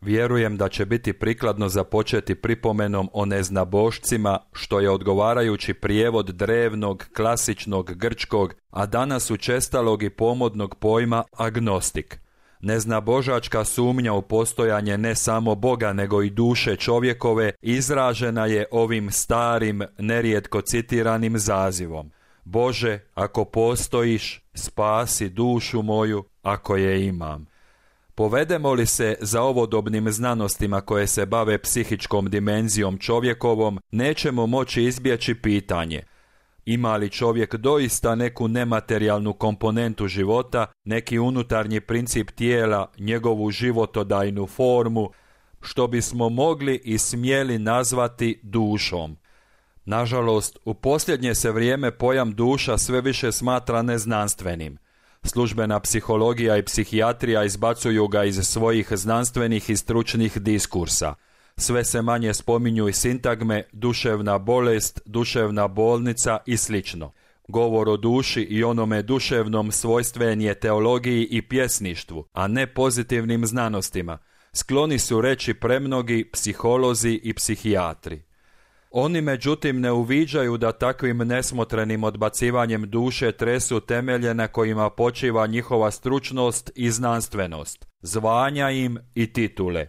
Vjerujem da će biti prikladno započeti pripomenom o neznabošcima, što je odgovarajući prijevod drevnog, klasičnog grčkog, a danas učestalog i pomodnog pojma agnostik. Neznabožačka sumnja u postojanje ne samo Boga nego i duše čovjekove izražena je ovim starim, nerijetko citiranim zazivom: Bože, ako postojiš, spasi dušu moju, ako je imam. Povedemo li se za ovodobnim znanostima koje se bave psihičkom dimenzijom čovjekovom, nećemo moći izbjeći pitanje: ima li čovjek doista neku nematerijalnu komponentu života, neki unutarnji princip tijela, njegovu životodajnu formu, što bismo mogli i smjeli nazvati dušom? Nažalost, u posljednje se vrijeme pojam duša sve više smatra neznanstvenim. Službena psihologija i psihijatrija izbacuju ga iz svojih znanstvenih i stručnih diskursa. Sve se manje spominju i sintagme duševna bolest, duševna bolnica i sl. Govor o duši i onome duševnom svojstven je teologiji i pjesništvu, a ne pozitivnim znanostima. Skloni su reći premnogi psiholozi i psihijatri. Oni međutim ne uviđaju da takvim nesmotrenim odbacivanjem duše tresu temelje na kojima počiva njihova stručnost i znanstvenost, zvanja im i titule.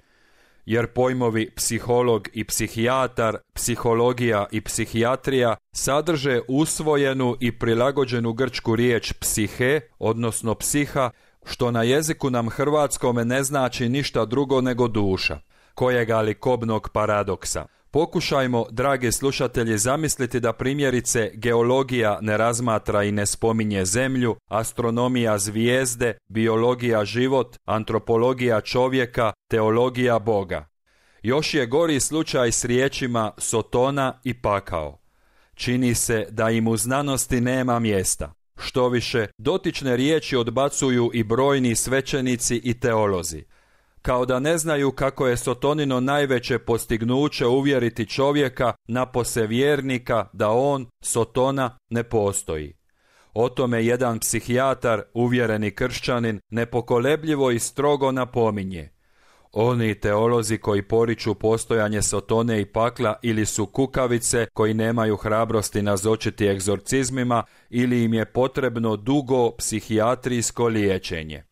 Jer pojmovi psiholog i psihijatar, psihologija i psihijatrija sadrže usvojenu i prilagođenu grčku riječ psihe, odnosno psiha, što na jeziku nam hrvatskome ne znači ništa drugo nego duša. Kojega li kobnog paradoksa. Pokušajmo, dragi slušatelji, zamisliti da primjerice geologija ne razmatra i ne spominje zemlju, astronomija zvijezde, biologija život, antropologija čovjeka, teologija Boga. Još je gori slučaj s riječima Sotona i pakao. Čini se da im u znanosti nema mjesta. Štoviše, dotične riječi odbacuju i brojni svećenici i teolozi. Kao da ne znaju kako je Sotonino najveće postignuće uvjeriti čovjeka, napose vjernika, da on, Sotona, ne postoji. O tome jedan psihijatar, uvjereni kršćanin, nepokolebljivo i strogo napominje: oni teolozi koji poriču postojanje Sotone i pakla ili su kukavice koji nemaju hrabrosti nazočiti egzorcizmima ili im je potrebno dugo psihijatrijsko liječenje.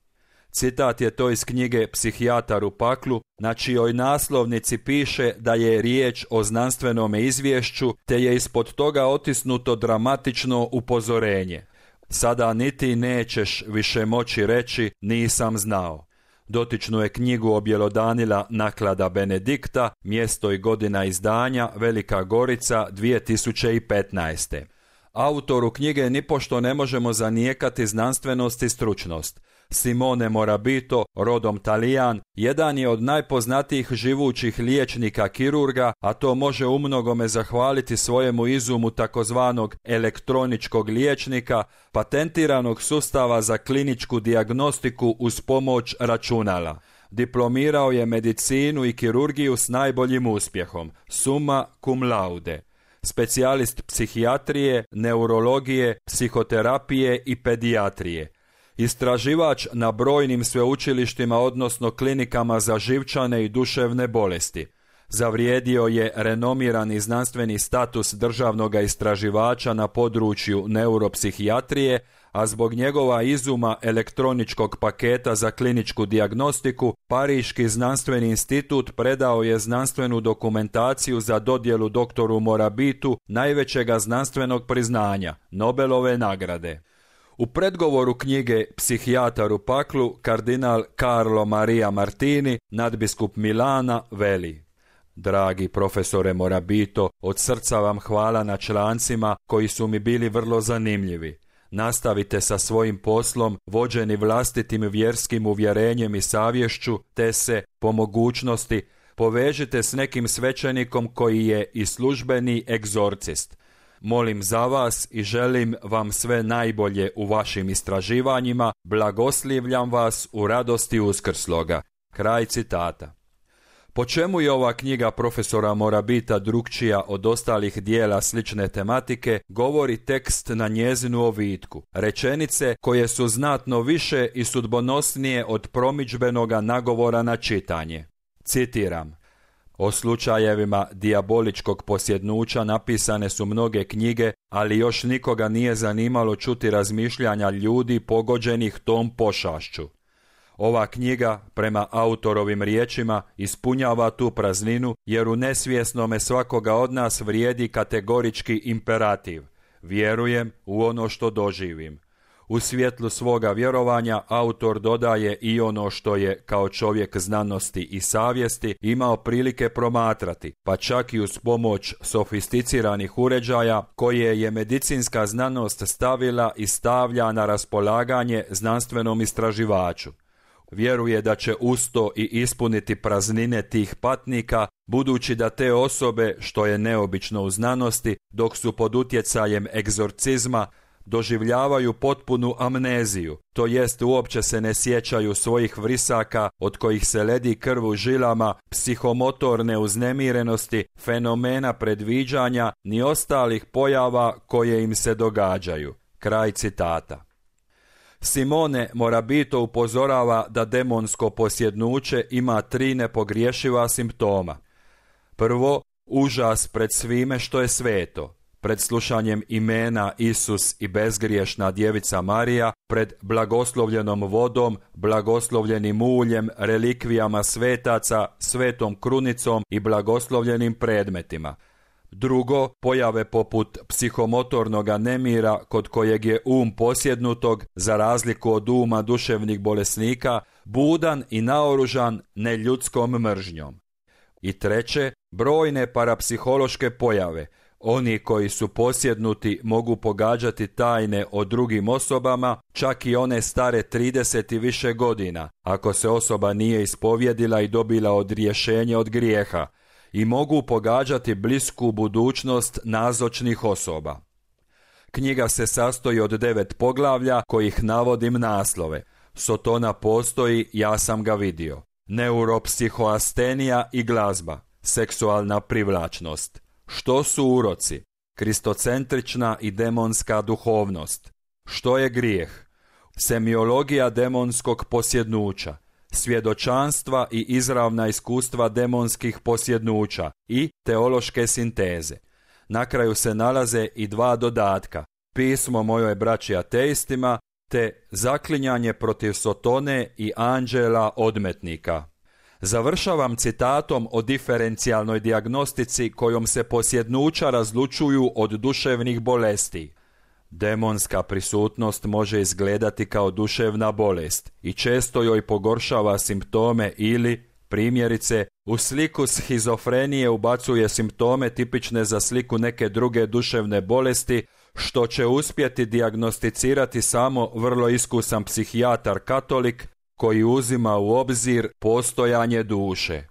Citat je to iz knjige Psihijatar u paklu, na čijoj naslovnici piše da je riječ o znanstvenome izvješću, te je ispod toga otisnuto dramatično upozorenje: sada niti nećeš više moći reći nisam znao. Dotičnu je knjigu objelodanila naklada Benedikta, mjesto i godina izdanja Velika Gorica 2015. Autoru knjige nipošto ne možemo zanijekati znanstvenost i stručnost. Simone Morabito, rodom Talijan, jedan je od najpoznatijih živućih liječnika kirurga, a to može umnogome zahvaliti svojemu izumu takozvanog elektroničkog liječnika, patentiranog sustava za kliničku dijagnostiku uz pomoć računala. Diplomirao je medicinu i kirurgiju s najboljim uspjehom, summa cum laude. Specijalist psihijatrije, neurologije, psihoterapije i pedijatrije. Istraživač na brojnim sveučilištima, odnosno klinikama za živčane i duševne bolesti. Zavrijedio je renomirani znanstveni status državnog istraživača na području neuropsihijatrije, a zbog njegova izuma elektroničkog paketa za kliničku dijagnostiku, Pariški znanstveni institut predao je znanstvenu dokumentaciju za dodjelu doktoru Morabitu najvećega znanstvenog priznanja, Nobelove nagrade. U predgovoru knjige Psihijatar u paklu, kardinal Carlo Maria Martini, nadbiskup Milana, veli: dragi profesore Morabito, od srca vam hvala na člancima koji su mi bili vrlo zanimljivi. Nastavite sa svojim poslom, vođeni vlastitim vjerskim uvjerenjem i savješću, te se, po mogućnosti, povežite s nekim svećenikom koji je i službeni egzorcist. Molim za vas i želim vam sve najbolje u vašim istraživanjima, blagoslivljam vas u radosti uskrsloga. Kraj citata. Po čemu je ova knjiga profesora Morabita drukčija od ostalih dijela slične tematike, govori tekst na njezinu ovitku, rečenice koje su znatno više i sudbonosnije od promidžbenoga nagovora na čitanje. Citiram: o slučajevima dijaboličkog posjednuća napisane su mnoge knjige, ali još nikoga nije zanimalo čuti razmišljanja ljudi pogođenih tom pošašću. Ova knjiga, prema autorovim riječima, ispunjava tu prazninu, jer u nesvjesnome svakoga od nas vrijedi kategorički imperativ: vjerujem u ono što doživim. U svjetlu svoga vjerovanja autor dodaje i ono što je, kao čovjek znanosti i savjesti, imao prilike promatrati, pa čak i uz pomoć sofisticiranih uređaja koje je medicinska znanost stavila i stavlja na raspolaganje znanstvenom istraživaču. Vjeruje da će usto i ispuniti praznine tih patnika, budući da te osobe, što je neobično u znanosti, dok su pod utjecajem egzorcizma, doživljavaju potpunu amneziju, to jest uopće se ne sjećaju svojih vrisaka od kojih se ledi krv u žilama, psihomotorne uznemirenosti, fenomena predviđanja, ni ostalih pojava koje im se događaju. Kraj citata. Simone Morabito upozorava da demonsko posjednuće ima 3 nepogriješiva simptoma. Prvo, užas pred svime što je sveto, pred slušanjem imena Isus i bezgriješna djevica Marija, pred blagoslovljenom vodom, blagoslovljenim uljem, relikvijama svetaca, svetom krunicom i blagoslovljenim predmetima. Drugo, pojave poput psihomotornoga nemira kod kojeg je posjednutog, za razliku od uma duševnih bolesnika, budan i naoružan neljudskom mržnjom. I treće, brojne parapsihološke pojave. Oni koji su posjednuti mogu pogađati tajne o drugim osobama, čak i one stare 30 i više godina, ako se osoba nije ispovjedila i dobila odrješenje od grijeha, i mogu pogađati blisku budućnost nazočnih osoba. Knjiga se sastoji od 9 poglavlja kojih navodim naslove: Sotona postoji, ja sam ga vidio, neuropsihoastenija i glazba, seksualna privlačnost, što su uroci, kristocentrična i demonska duhovnost, što je grijeh, semiologija demonskog posjednuća, svjedočanstva i izravna iskustva demonskih posjednuća i teološke sinteze. Na kraju se nalaze i 2 dodatka: Pismo mojoj braći ateistima te zaklinjanje protiv Sotone i anđela odmetnika. Završavam citatom o diferencijalnoj dijagnostici kojom se posjednuća razlučuju od duševnih bolesti. Demonska prisutnost može izgledati kao duševna bolest i često joj pogoršava simptome ili, primjerice, u sliku shizofrenije ubacuje simptome tipične za sliku neke druge duševne bolesti, što će uspjeti dijagnosticirati samo vrlo iskusan psihijatar katolik koji uzima u obzir postojanje duše.